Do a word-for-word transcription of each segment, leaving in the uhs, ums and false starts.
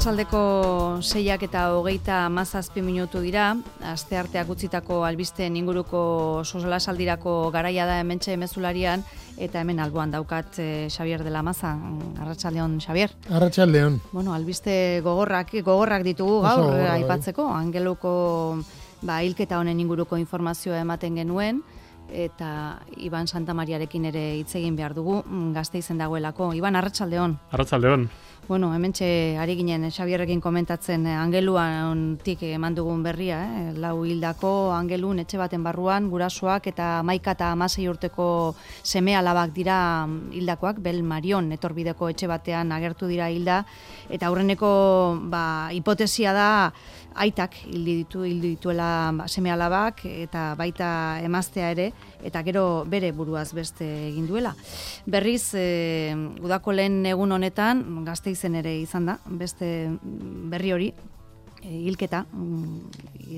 Arratsaldeko seiak eta hogeita hamazazpi minutu dira, astearteak utzitako albisteen inguruko solasaldirako garaia da hementxe mezularian, eta hemen alboan daukat eh, Xabier de la Maza. Arratsaldeon, Xabier. Arratsaldeon. Bueno, albiste gogorrak, gogorrak ditugu gaur Oso gogorra, aipatzeko, angeluko ba, hilketa honen inguruko informazioa ematen genuen, eta Iban Santamariarekin ere hitz egin behar dugu, Gasteizen dagoelako. Iban, arratsaldeon. Arratsaldeon. Bueno, hementxe ari ginen Xabierrekin komentatzen angeluantik eman dugun berria, eh? lau hildako angelun etxe baten barruan, gurasoak eta hamaika eta hamasei urteko seme alabak dira hildakoak, Bel Marion etorbideko etxe batean agertu dira hilda, eta aurreneko ba, hipotesia da aitak hildi ditu, hildi dituela seme alabak, eta baita emaztea ere, eta gero bere buruaz beste egin duela. Berriz, e, udako lehen egun honetan, Gasteizen ere izan da, beste berri hori, e, hilketa,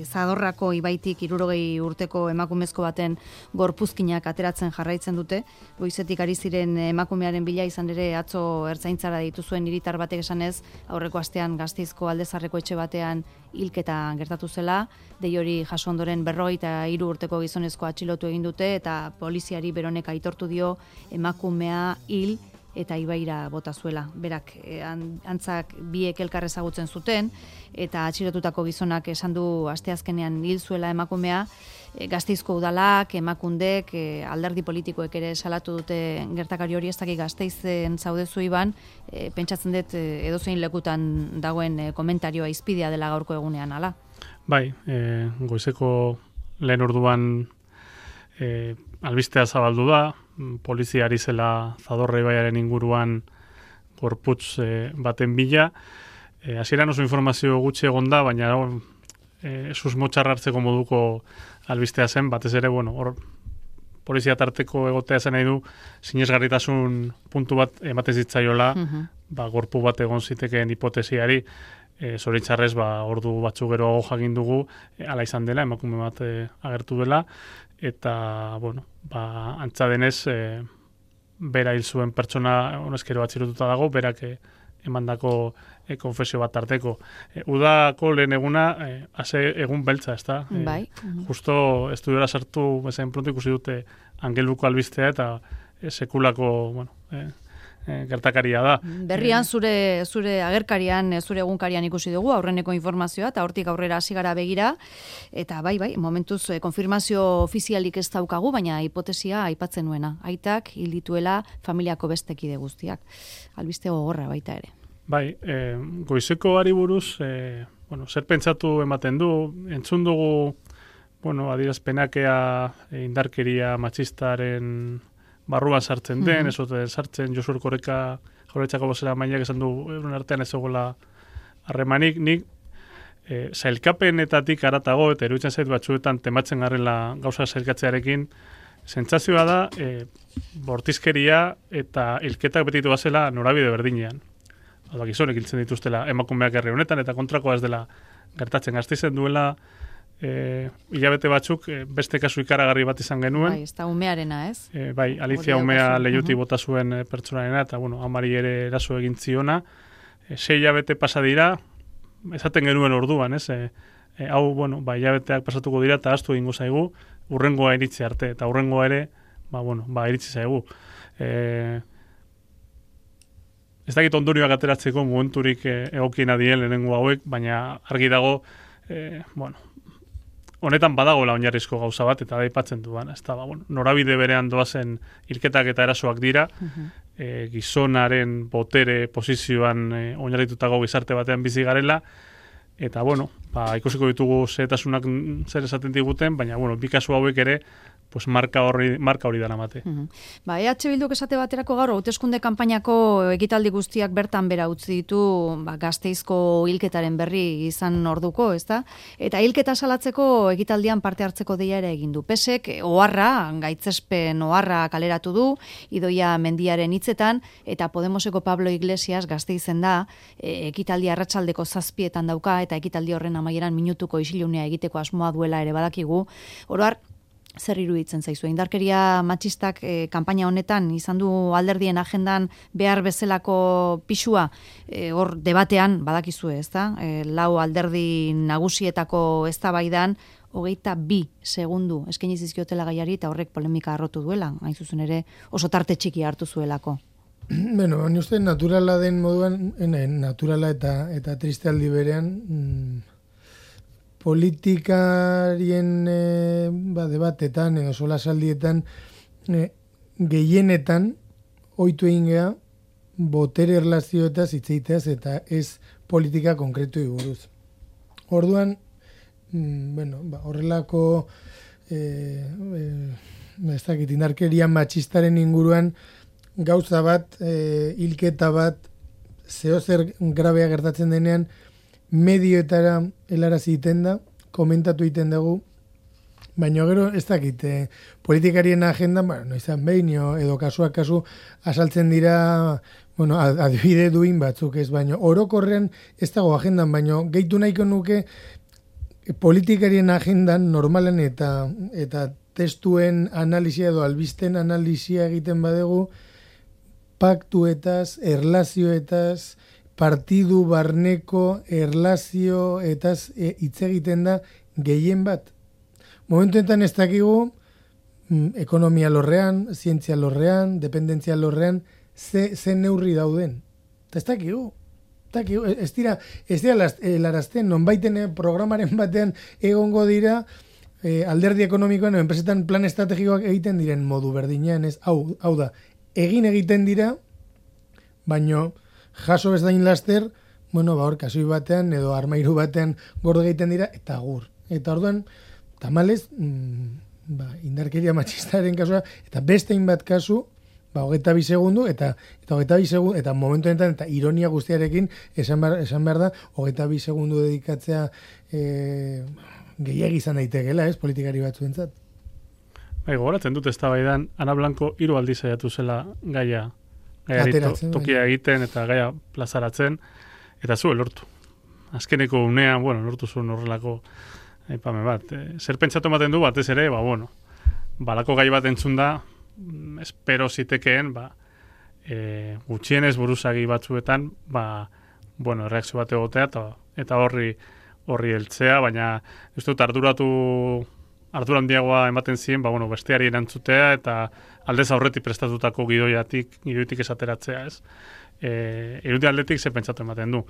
Zadorrako ibaitik hirurogei urteko emakumezko baten gorpuzkinak ateratzen jarraitzen dute, goizetik ari ziren emakumearen bila izan ere atzo ertzaintzara dituzuen hiritar batek esanez, aurreko astean Gasteizko Aldezarreko etxe batean hilketa gertatu zela, dei hori jaso ondoren berrogeita hiru urteko gizonezko atxilotu egin dute, eta poliziari beronek aitortu dio emakumea hil eta ibaira bota zuela. Berak, antzak biek elkar ezagutzen zuten, eta atxilotutako gizonak esan du asteazkenean hil zuela emakumea, Gasteizko udalak, emakundek, alderdi politikoek ere salatu dute gertakari hori. Ez dakik Gasteizen zaudezu Iban, e, pentsatzen dut edozein lekutan dagoen komentarioa izpidea dela gaurko egunean, ala? Bai, e, goizeko lehen orduan e, albistea zabaldu da, poliziari zela Zadorra ibaiaren inguruan gorputz e, baten bila. E, hasieran oso informazio gutxi egon da, baina e, susmotxar hartzeko moduko albistea zen, batez ere, bueno, hor polizia tarteko egotea zen nahi du, sinesgarritasun puntu bat ematen zitzaiola, uh-huh. ba, gorpu bat egon zitekeen hipotesiari, e, zoritxarrez, ba, ordu batzu geroago jakin dugu, e, ala izan dela, emakume bat e, agertu dela, eta, bueno, ba, antza denez, e, bera hil zuen pertsona honezkero atxilotuta dago, berak e, emandako e, konfesio bat tarteko. E, udako lehen eguna, e, ase egun beltza, ez da? E, bai. Justo estudiora sartu bezain pronto ikusi dute angeluko albistea eta e, sekulako, bueno, e, e, gertakaria da. Berrian zure zure agerkarian, zure egunkarian ikusi dugu aurreneko informazioa, eta hortik aurrera hasi gara begira, eta bai, bai, momentuz e, konfirmazio ofizialik ez daukagu, baina hipotesia aipatzen nuena. Aitak hil dituela familiako beste kide guztiak. Albiste gogorra baita ere. Bai, e, goizeko ari buruz, e, bueno, zer pentsatu ematen du, entzun dugu, bueno, adierazpenakea e, indarkeria matxistaren barruan sartzen den, mm-hmm. ezoten sartzen, Josu Erkoreka Jaurlaritzako bozera mainak esan du, euren artean ez egola harremanik, nik e, zailkapenetatik aratago, eta eruditzen zait batzuetan tematzen garrela gauza zailkatzearekin, sentsazioa da, e, bortizkeria eta hilketak betitu bazela norabide berdinean. Hau gizonek hiltzen dituztela emakumeak herri honetan, eta kontrakoa ez dela gertatzen. Gasteizen duela e, hilabete batzuk e, beste kasu ikaragarri bat izan genuen. Bai, ez da umearena, ez? E, bai, Alicia umea lehiuti bota zuen e, pertsonarena, eta bueno, amari ere eraso egin ziona. E, sei hilabete pasa dira, esaten genuen orduan, ez? E, e, hau, bueno, ba, hilabeteak pasatuko dira, eta astu egingo zaigu, urrengoa iritzi arte, eta urrengoa ere, ba, bueno, ba, iritzi zaigu. E, Ez dakit ondorioak ateratzeko momenturik e, egokiena dien lehenengo hauek, baina argi dago, e, bueno, honetan badagoela oinarrizko gauza bat, eta da aipatzen duan, ez da, ba, bueno, norabide berean doazen hilketak eta erasoak dira, uh-huh. e, gizonaren botere posizioan e, oinarritutako gizarte batean bizi garela, eta, bueno, ba, ikusiko ditugu zehetasunak zer esaten diguten, baina, bueno, bi kasu hauek ere, pues marka hori marka hori dara mate. Uh-huh. Ba, E H Bilduk esate baterako gaur hauteskunde kanpainako ekitaldi guztiak bertan bera utzi ditu, ba, Gasteizko hilketaren berri izan orduko, ezta? Eta hilketa salatzeko ekitaldian parte hartzeko deia ere egin du. Pesek oharra, gaitzespen oharra kaleratu du, Idoia Mendiaren hitzetan, eta Podemoseko Pablo Iglesias Gasteizen da, e, ekitaldi arratsaldeko zazpietan dauka, eta ekitaldi horren amaieran minutuko isilunea egiteko asmoa duela ere badakigu. Oro har, zer iruditzen zaizu? Indarkeria matxistak e, kanpaina honetan izan du alderdien agendan behar bezalako pisua, e, hor debatean badakizue, ezta? E, lau alderdi nagusietako eztabaidan hogeita bi segundu eskaini zizkiotela gaiari eta horrek polemika arrotu duela, hain zuzen ere oso tarte txiki hartu zuelako. Bueno, ni uste naturala den moduan, naturala eta eta triste aldi berean, mm, politikarien e, ba, debatetan edo solasaldietan e, gehienetan ohitu egin gea botere erlazioetaz hitzeiteaz eta ez politika konkretu buruz. Orduan, mm, bueno, ba, horrelako e, e, ez dakit, indarkeria matxistaren inguruan gauza bat, e, hilketa bat, zeozer grabea gertatzen denean, medioetara helarazi egiten da, komentatu egiten dugu, baina gero ez dakit, eh, politikarien agenda, bueno, no izan behin, edo kasuak kasu asaltzen dira, bueno, adibide duin batzuk ez, baina orokorrean ez dago agendan, baina gehitu nahiko nuke politikarien agendan normalan eta eta testuen analizia edo albisten analizia egiten badegu, paktuetaz, erlazioetaz, partidu barneko erlazioetaz hitz e, egiten da gehien bat. Momentuetan ez dakigu mm, ekonomia lorrean, zientzia lorrean, dependentzia lorrean, ze, ze neurri dauden. Eta ez dakigu. dakigu. Ez dira, ez dira larazten, nonbaiten programaren batean egongo dira e, alderdi ekonomikoan, enpresetan plan estrategikoak egiten diren modu berdinean, ez, hau, hau da, egin egiten dira, baino jaso bezain laster, bueno, ba hor kasoi batean edo armairu batean gordo egiten dira eta gur. Eta orduan tamalez, mm, ba, indarkeria matxistaren kasua eta beste hainbat kasu, ba hogeita bi segundu eta eta hogeita bi segundu eta momentu honetan eta ironia guztiarekin esan behar, esan behar da hogeita bi segundu dedikatzea eh gehiegi izan daitekeela, ez, politikari batzuentzat. Bai, gogoratzen dut eztabaidan Ana Blanco hiru aldiz saiatu zela gaia gaiari to, tokia egiten eta gaia plazaratzen, eta zu lortu. Azkeneko unean, bueno, lortu zuen horrelako aipame bat. E, zer pentsatu ematen du batez ere, ba, bueno, balako gai bat entzun da, espero zitekeen, ba, e, gutxienez buruzagi batzuetan, ba, bueno, reakzio bat egotea, eta, eta horri horri heltzea, baina ez dut arduratu ardura handiagoa ematen ziren, ba, bueno, besteari erantzutea eta aldez aurretik prestatutako gidoiatik, gidoitik esateratzea, ez? E, irudi aldetik ze pentsatu ematen du.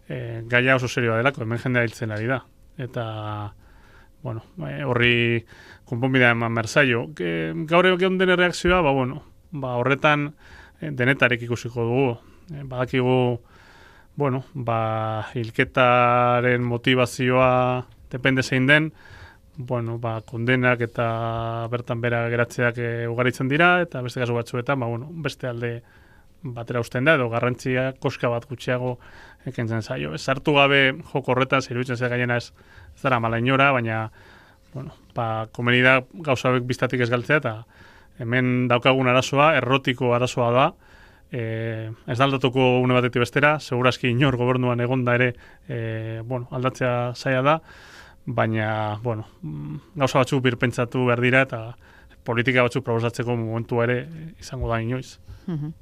E, gaia oso serioa delako, hemen jendea hiltzen ari da. Eta, bueno, horri konponbidea eman merzaio. E, gaur egon den reakzioa, ba, bueno, ba, horretan denetarek ikusiko dugu. E, badakigu, bueno, ba, hilketaren motivazioa depende zein den, bueno, ba, kondenak eta bertan bera geratzeak e, ugaritzen dira, eta beste kasu batzuetan, ba, bueno, beste alde batera usten da, edo garrantzia koska bat gutxiago ekentzen zaio. Ez hartu gabe joko horretan, iruditzen zer gaiena ez, ez dara mala inora, baina, bueno, ba, komeni da gauza hauek biztatik ez galtzea, eta hemen daukagun arazoa, errotiko arazoa da, e, ez da aldatuko une batetik bestera, segurazki inor gobernuan egonda ere, e, bueno, aldatzea zaila da, baina, bueno, gauza batzuk birpentsatu behar dira eta politika batzuk proposatzeko momentua ere izango da inoiz. Uhum.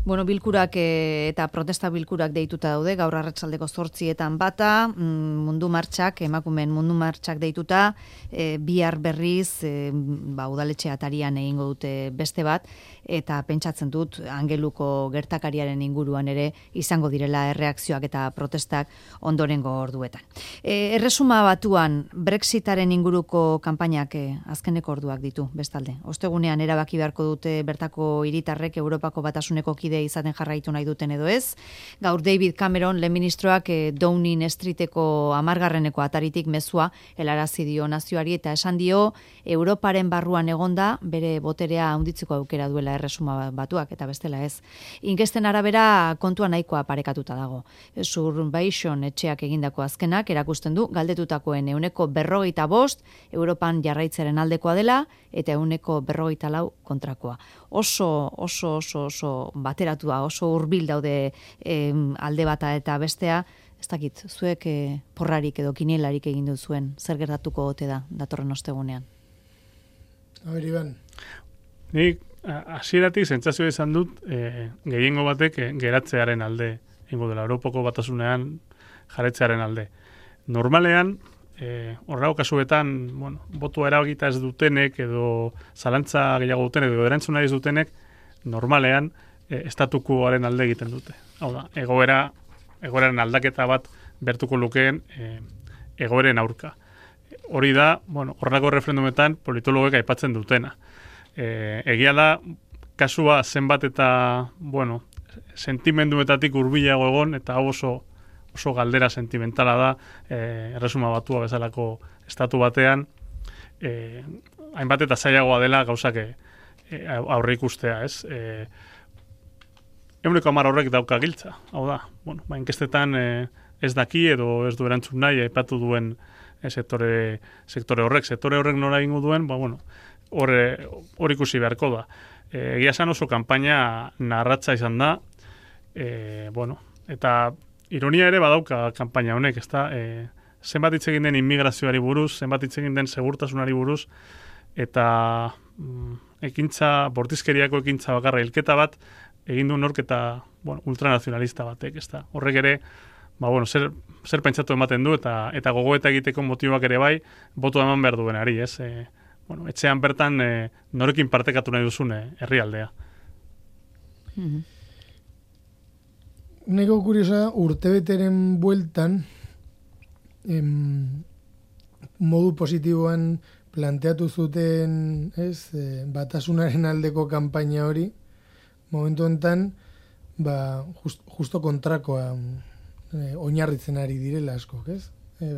Bueno, bilkurak e, eta protesta bilkurak deituta daude, gaur arratsaldeko zortzietan bata, mundu martxak, emakumeen mundu martxak deituta, e, bihar berriz, e, ba, udaletxe atarian egingo dute beste bat, eta pentsatzen dut, angeluko gertakariaren inguruan ere izango direla erreakzioak eta protestak ondorengo orduetan. E, erresuma batuan, Brexitaren inguruko kanpainak e, azkeneko orduak ditu, bestalde. Ostegunean erabaki beharko dute bertako hiritarrek Europa Batasuneko kide izaten jarraitu nahi duten edo ez. Gaur David Cameron, lehen ministroak eh, Downing Streeteko amargarreneko ataritik mezua helarazi dio nazioari eta esan dio Europaren barruan egonda bere boterea handitzeko aukera duela erresuma batuak eta bestela ez. Inkesten arabera kontua nahikoa parekatuta dago. Survation etxeak egindako azkenak erakusten du galdetutakoen ehuneko berrogeita bost Europan jarraitzaren aldekoa dela eta ehuneko berrogeita lau kontrakoa. Oso, oso, oso oso bateratua, oso hurbil daude eh, alde bata eta bestea, ez dakit, zuek eh, porrarik edo kinielarik egin duzuen, zer gertatuko ote da datorren ostegunean? Aber, Iban. Nik hasieratik sentsazioa izan dut e, gehiengo batek e, geratzearen alde, ingo dela, Europako batasunean jarretzearen alde. Normalean, e, horrela kasuetan, bueno, botua erabakita ez dutenek, edo zalantza gehiago dutenek, edo erantzuna ez dutenek, normalean, e, estatukoaren alde egiten dute. Hau da, egoera, egoeraren aldaketa bat bertuko lukeen e, egoeren aurka. Hori da, bueno, horrelako referendumetan politologek aipatzen dutena. E, egia da, kasua zenbat eta, bueno, sentimenduetatik hurbilago egon, eta hau oso, oso galdera sentimentala da, e, erresuma batua bezalako estatu batean, e, hainbat eta zailagoa dela gauzak e, aurre ikustea, ez? E, Euneko hamar horrek dauka giltza, hau da, bueno, ba, inkestetan e, ez daki edo ez du erantzun nahi, aipatu duen e, sektore, sektore horrek, sektore horrek nora ingo duen, ba, bueno, hor hor ikusi beharko da. E, egia esan oso kanpaina narratza izan da, e, bueno, eta ironia ere badauka kanpaina honek, ezta? E, zenbat hitz egin den immigrazioari buruz, zenbat hitz egin den segurtasunari buruz, eta mm, ekintza, bortizkeriako ekintza bakarra hilketa bat, egin du nork eta, bueno, ultranazionalista batek, ezta? Horrek ere, ba, bueno, zer, zer pentsatu ematen du, eta eta gogoeta egiteko motiboak ere bai, botu eman behar duenari, ez? E, bueno, etxean bertan e, norekin partekatu nahi duzune herrialdea. Mm-hmm. Neko kuriosa, urtebeteren bueltan, em, modu positiboan planteatu zuten, ez, e, batasunaren aldeko kanpaina hori, momentu enten, ba, just, justo kontrakoa e, oinarritzen ari direla askok, ez? E,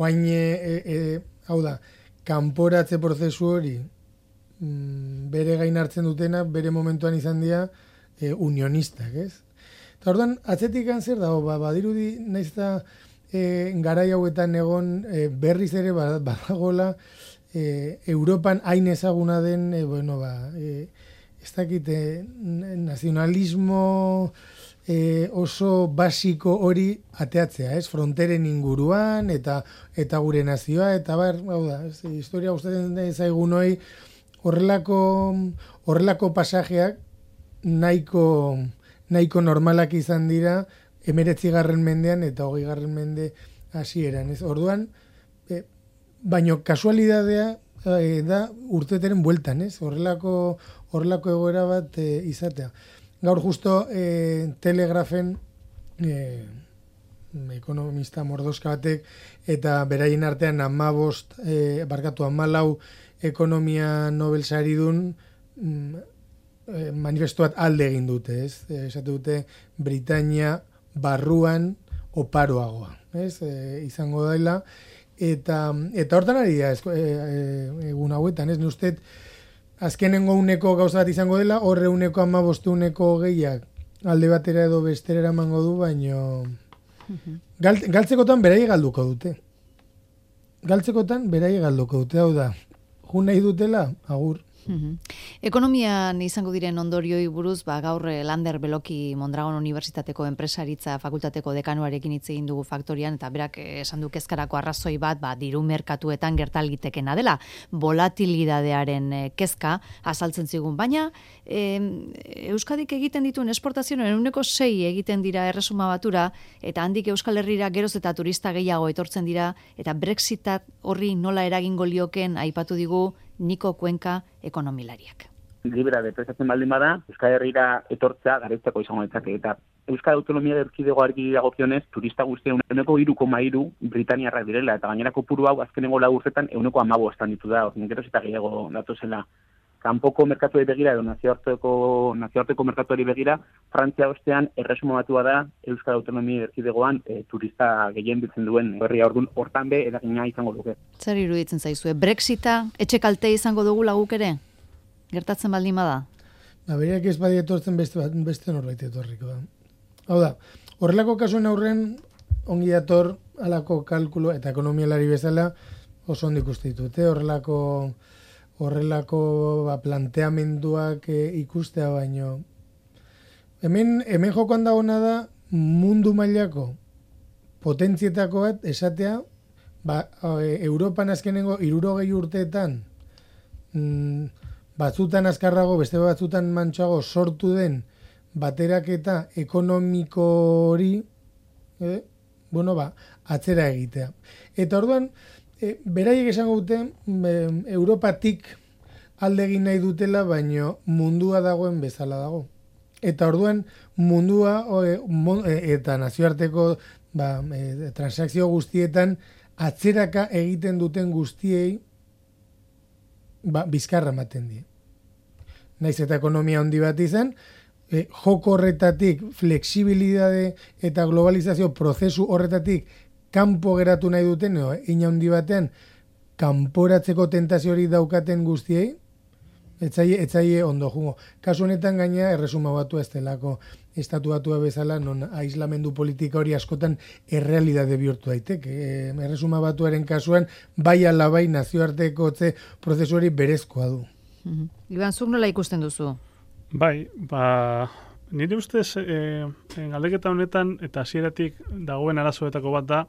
oain, e, e, hau da, kanporatze prozesu hori mm, bere gain hartzen dutena, bere momentuan izan dira e, unionistak, ez? Eta orduan, atzetik zer dago, ba, badirudi naiz eta e, garai hauetan egon e, berriz ere badagola e, Europan hain ezaguna den, e, bueno, ba, e, ez dakit, e, nazionalismo e, oso basiko hori ateatzea, ez? Fronteren inguruan, eta eta gure nazioa, eta bar, hau da, ez, historia gustatzen zaigun hori, horrelako, horrelako pasajeak nahiko, nahiko normalak izan dira, emeretzigarren mendean eta hogeigarren mende hasieran, ez? Orduan, e, baino kasualidadea e, da urteteren bueltan, ez? Horrelako, horrelako egoera bat e, izatea. Gaur justo e, Telegrafen e, ekonomista mordoska batek eta beraien artean hamabost e, barkatu hamalau ekonomia Nobel saridun mm, e, manifestu bat alde egin dute, ez? E, esate dute Britania barruan oparoagoa, ez? E, izango daila eta eta hortan ari da e, e, egun hauetan, ez? Ni uste azkenengo uneko gauza bat izango dela, horre uneko amabostu uneko gehiak alde batera edo bestera eramango du, baino gal, galtzekotan berai galduko dute. Galtzekotan berai galduko dute, hau da. Jun nahi dutela, agur. Uhum. Ekonomian izango diren ondorioi buruz, ba, gaur Lander Beloki Mondragon Unibertsitateko enpresaritza fakultateko dekanuarekin hitz egin dugu faktorian, eta berak esan du kezkarako arrazoi bat, ba, diru merkatuetan gertalitekena dela, volatilidadearen kezka azaltzen zigun, baina e, Euskadik egiten dituen esportazioen ehuneko sei egiten dira Erresuma Batura, eta handik Euskal Herrira geroz eta turista gehiago etortzen dira, eta Brexitak horri nola eragingo lioken aipatu digu Niko Kuenka ekonomilariak. Libera depresatzen baldin bada, Euskal Herrira etortzea garaitzeko izango ditzake, eta Euskal Autonomia Erkidegoari dagokionez, turista guztien ehuneko hiru koma hiru Britaniarrak direla, eta gainerako puru hau azkenengo lau urtetan ehuneko hamabostan ditu da, orduan geroz eta gehiago datozela. Kanpoko merkatuari begira edo nazioarteko nazioarteko merkatuari begira, Frantzia ostean Erresuma Batua da Euskal Autonomia Erkidegoan e, turista gehien biltzen duen herria, orduan hortan be eragina izango duke. Zer iruditzen zaizue? Brexita etxe kalte izango dugu laguk ere? Gertatzen baldin bada? Ba, beriak ez badi etortzen beste, beste norbait etorriko da. Hau da, horrelako kasuen aurren ongi dator alako kalkulo eta ekonomialari bezala oso ondo ikusten ditut, horrelako horrelako ba, planteamenduak e, ikustea baino. Hemen, hemen jokoan dagoena da mundu mailako potentzietako bat esatea, ba, e, Europan azkenengo hirurogei urteetan mm, batzutan azkarrago, beste batzutan mantxago sortu den bateraketa ekonomiko hori, eh, bueno, ba, atzera egitea. Eta orduan, e, beraiek esango dute, e, Europatik alde egin nahi dutela, baino mundua dagoen bezala dago. Eta orduan, mundua e, mon, e, eta nazioarteko ba, e, transakzio guztietan atzeraka egiten duten guztiei ba, bizkarra ematen die. Naiz eta ekonomia handi bat izan, e, joko horretatik, flexibilidade eta globalizazio prozesu horretatik kanpo geratu nahi duten, no, ina handi batean, kanporatzeko tentazio hori daukaten guztiei, etzaie, etzaie ondo jungo. Kasu honetan gaina erresuma batua ez delako estatu batua bezala, non aislamendu politika hori askotan errealidade bihurtu daiteke. E, erresuma batuaren kasuan, bai ala bai nazioarteko otze prozesu hori berezkoa du. Mm-hmm. Iban, zuk nola ikusten duzu? Bai, ba, nire ustez e, galdeketa honetan eta hasieratik dagoen arazoetako bat da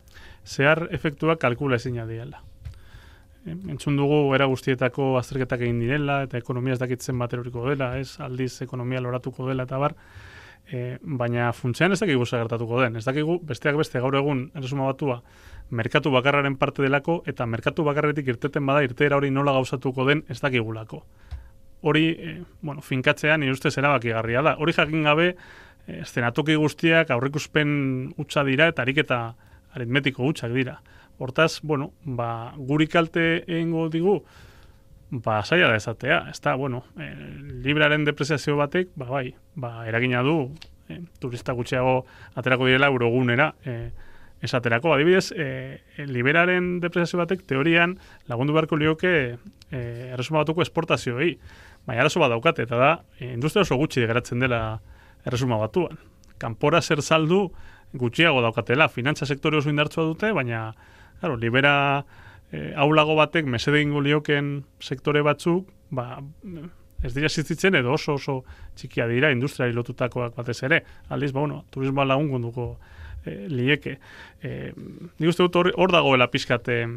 zehar efektuak kalkula ezina diela. E, entzun dugu era guztietako azterketak egin direla eta ekonomia ez dakitzen bat eroriko dela, ez aldiz ekonomia loratuko dela eta bar, e, baina funtsean ez dakigu gertatuko den. Ez dakigu besteak beste gaur egun erresuma batua merkatu bakarraren parte delako eta merkatu bakarretik irteten bada irteera hori nola gauzatuko den ez dakigulako. Hori, eh, bueno, finkatzean nire ustez erabakigarria da. Hori jakin gabe, eh, eszenatoki guztiak aurreikuspen hutsa dira eta ariketa aritmetiko hutsak dira. Hortaz, bueno, ba, guri kalte egingo digu, ba, saia da esatea. Ez da, bueno, eh, libraren depreziazio batek, ba, bai, ba, eragina du, eh, turista gutxiago aterako direla eurogunera, eh, esaterako. Adibidez, eh, liberaren depreziazio batek teorian lagundu beharko lioke eh, erresuma batuko esportazioei. Baina arazo bat daukate, eta da, industria oso gutxi geratzen dela erresuma batuan. Kanpora zer saldu gutxiago daukatela, finantza sektore oso indartsua dute, baina, claro, libera eh, aulago batek mesede ingo lioken sektore batzuk, ba, ez dira existitzen edo oso oso txikia dira industriari lotutakoak batez ere. Aldiz, ba, bueno, turismoa lagungunduko eh, lieke. Eh, nik uste dut hor, hor dagoela pixkat eh,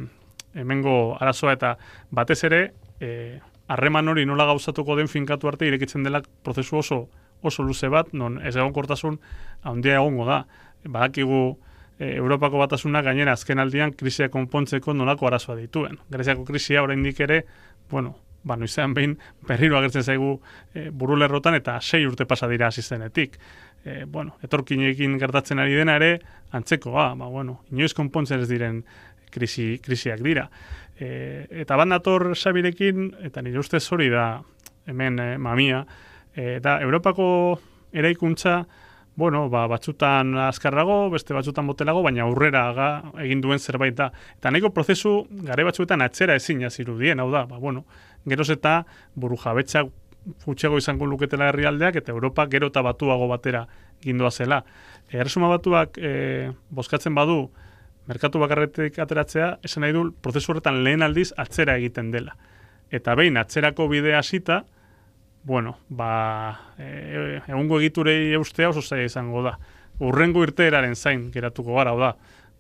hemengo arazoa eta batez ere, eh, harreman hori nola gauzatuko den finkatu arte irekitzen dela prozesu oso oso luze bat, non ez egonkortasun handia egongo da. Badakigu e, Europako Batasuna gainera azken aldian krisia konpontzeko nolako arazoa dituen. Greziako krisia oraindik ere, bueno, ba noizean behin berriro agertzen zaigu e, burulerrotan eta sei urte pasa dira hasi zenetik. E, bueno, etorkinekin gertatzen ari dena ere antzekoa, ba bueno, inoiz konpontzen ez diren krisi krisiak dira. E, eta bat nator Xabirekin, eta nire ustez hori da hemen e, mamia, e, da Europako eraikuntza, bueno, ba, batzutan azkarrago, beste batzutan botelago, baina aurrera ga, egin duen zerbait da. Eta nahiko prozesu gare batzuetan atzera ezin zirudien, hau da, ba, bueno, geroz eta buru jabetza gutxiago izango luketela herrialdeak, eta Europa gero eta batuago batera gindua zela. E, Erresuma batuak e, bozkatzen badu, merkatu bakarretik ateratzea, esan nahi du, prozesu horretan lehen aldiz atzera egiten dela. Eta behin atzerako bidea hasita, bueno, ba, e, egungo egiturei eustea oso zaila izango da. Urrengo irteeraren zain geratuko gara, da.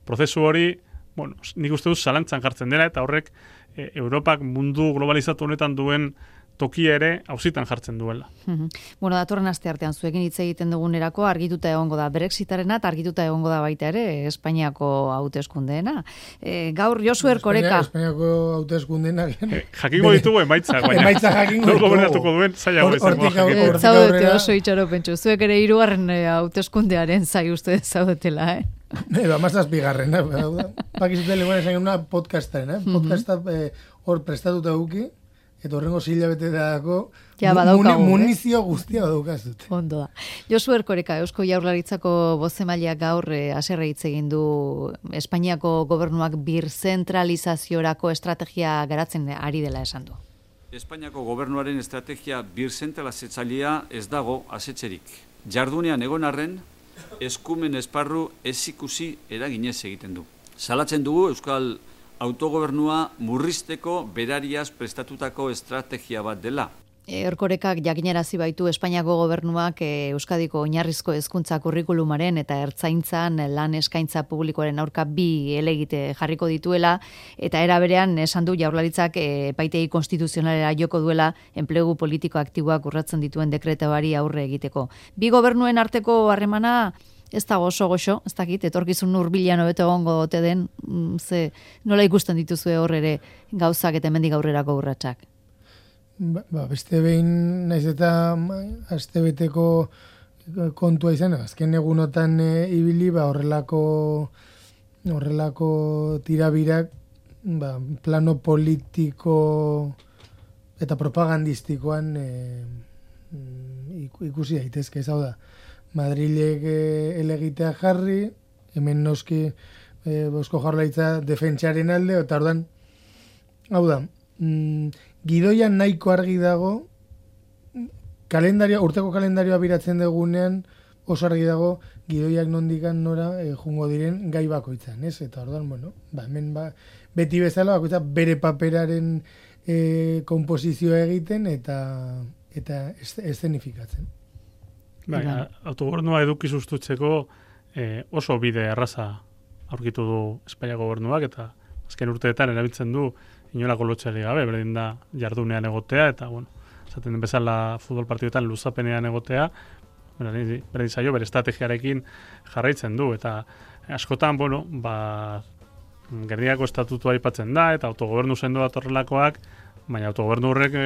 Prozesu hori, bueno, nik uste dut zalantzan jartzen dela, eta horrek e, Europak mundu globalizatu honetan duen tokia ere auzitan jartzen duela. Mm-hmm. Bueno, datorren aste artean zuekin hitz egiten dugunerako argituta egongo da Brexitarena eta argituta egongo da baita ere Espainiako hauteskundeena. E, gaur Josu Erkoreka. Espainiako hauteskundeena. E, jakingo ditugu emaitzak, baina. Emaitza jakingo ditugu. Gobernatuko duen zailago izango jakingo. Zaudete oso itxaro pentsu. Zuek ere hirugarren hauteskundearen zai uste zaudetela, eh? Eba, mazaz bigarren, eh? Pakizute leguan esan una podcastaren, eh? Podcasta hor prestatuta guki, eta horrengo zila bete dago ja, badaukagu, muni, munizio guztia badaukazut. Ondo da. Josu Erkoreka, Eusko Jaurlaritzako bozemaileak gaur eh, haserre hitz egin du Espainiako gobernuak birzentralizaziorako estrategia garatzen ari dela esan du. Espainiako gobernuaren estrategia birzentralizatzailea ez dago asetxerik. Jardunean egon arren, eskumen esparru ez ikusi eraginez egiten du. Salatzen dugu Euskal autogobernua murrizteko berariaz prestatutako estrategia bat dela. Erkorekak jakinarazi baitu Espainiako gobernuak Euskadiko oinarrizko hezkuntza kurrikulumaren eta ertzaintzan lan eskaintza publikoaren aurka bi helegite jarriko dituela, eta era berean esan du Jaurlaritzak epaitegi konstituzionalera joko duela enplegu politiko aktiboak urratzen dituen dekretoari aurre egiteko. Bi gobernuen arteko harremana ez da oso goxo, ez dakit, etorkizun hurbilean hobeto egongo ote den, ze nola ikusten dituzue hor ere gauzak eta hemendik aurrerako urratsak. Ba, ba, beste behin naiz eta astebeteko kontua izan, azken egunotan e, ibili, ba, horrelako horrelako tirabirak ba, plano politiko eta propagandistikoan e, ikusi daitezke, ez hau da. Madrilek e, elegitea jarri, hemen noski e, Eusko Jaurlaritza defentsaren alde, eta ordan, hau da, mm, gidoian nahiko argi dago, kalendario, urteko kalendarioa biratzen dugunean, oso argi dago, gidoiak nondikan nora e, jungo diren gai bakoitzan, ez? Eta orduan, bueno, ba, hemen ba, beti bezala bakoitza bere paperaren e, komposizioa egiten eta eta eszenifikatzen. Bai, autogobernua eduki sustutzeko e, oso bide erraza aurkitu du Espainiako gobernuak, eta azken urteetan erabiltzen du inolako lotxari gabe, berdin da jardunean egotea, eta, bueno, esaten den bezala futbol partioetan luzapenean egotea, berdin zaio, bere estrategiarekin jarraitzen du, eta askotan, bueno, ba, Gernikako estatutua aipatzen da, eta autogobernu sendo bat horrelakoak, baina autogobernu horrek e,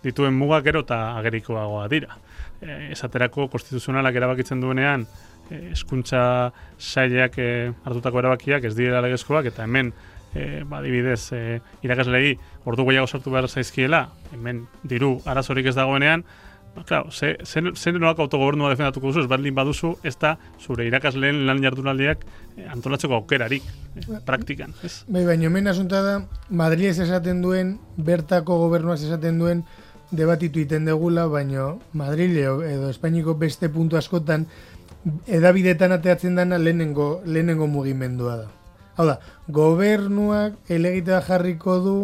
dituen mugak gero eta agerikoagoa dira. E, esaterako konstituzionalak erabakitzen duenean, e, hezkuntza sailak e, hartutako erabakiak ez direla legezkoak, eta hemen E, ba, dibidez, e, irakaslei ordu gehiago sartu behar zaizkiela, hemen diru arazorik ez dagoenean, ba, claro, ze, ze, ze nolako autogobernua defendatuko duzu, ez baldin baduzu, ez da zure irakasleen lan jardunaldiak e, antolatzeko aukerarik, e, praktikan. Ez? Bai, baina hemen asunta da, Madrilez esaten duen, bertako gobernuaz esaten duen, debatitu iten degula, baina Madrile edo Espainiko beste puntu askotan, edabidetan ateatzen dana lehenengo, lehenengo mugimendua da. Hau da, gobernuak elegitea jarriko du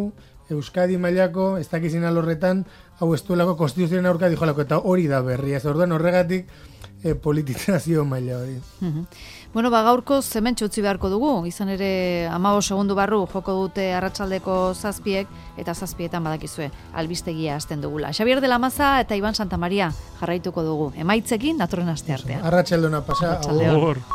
Euskadi mailako, ez dakizin alorretan, hau ez duelako konstituzioen aurka dijolako, eta hori da berria. Ez orduan horregatik e, politizazio maila hori. Uh-huh. Bueno, ba, gaurko zementxo utzi beharko dugu, izan ere hamabost segundu barru joko dute arratsaldeko zazpiek, eta zazpietan badakizue, albistegia hasten dugula. Xabier de la Maza eta Iban Santamaria jarraituko dugu. Emaitzekin datorren asteartean. Arratsaldona pasa. Arratsaldeon.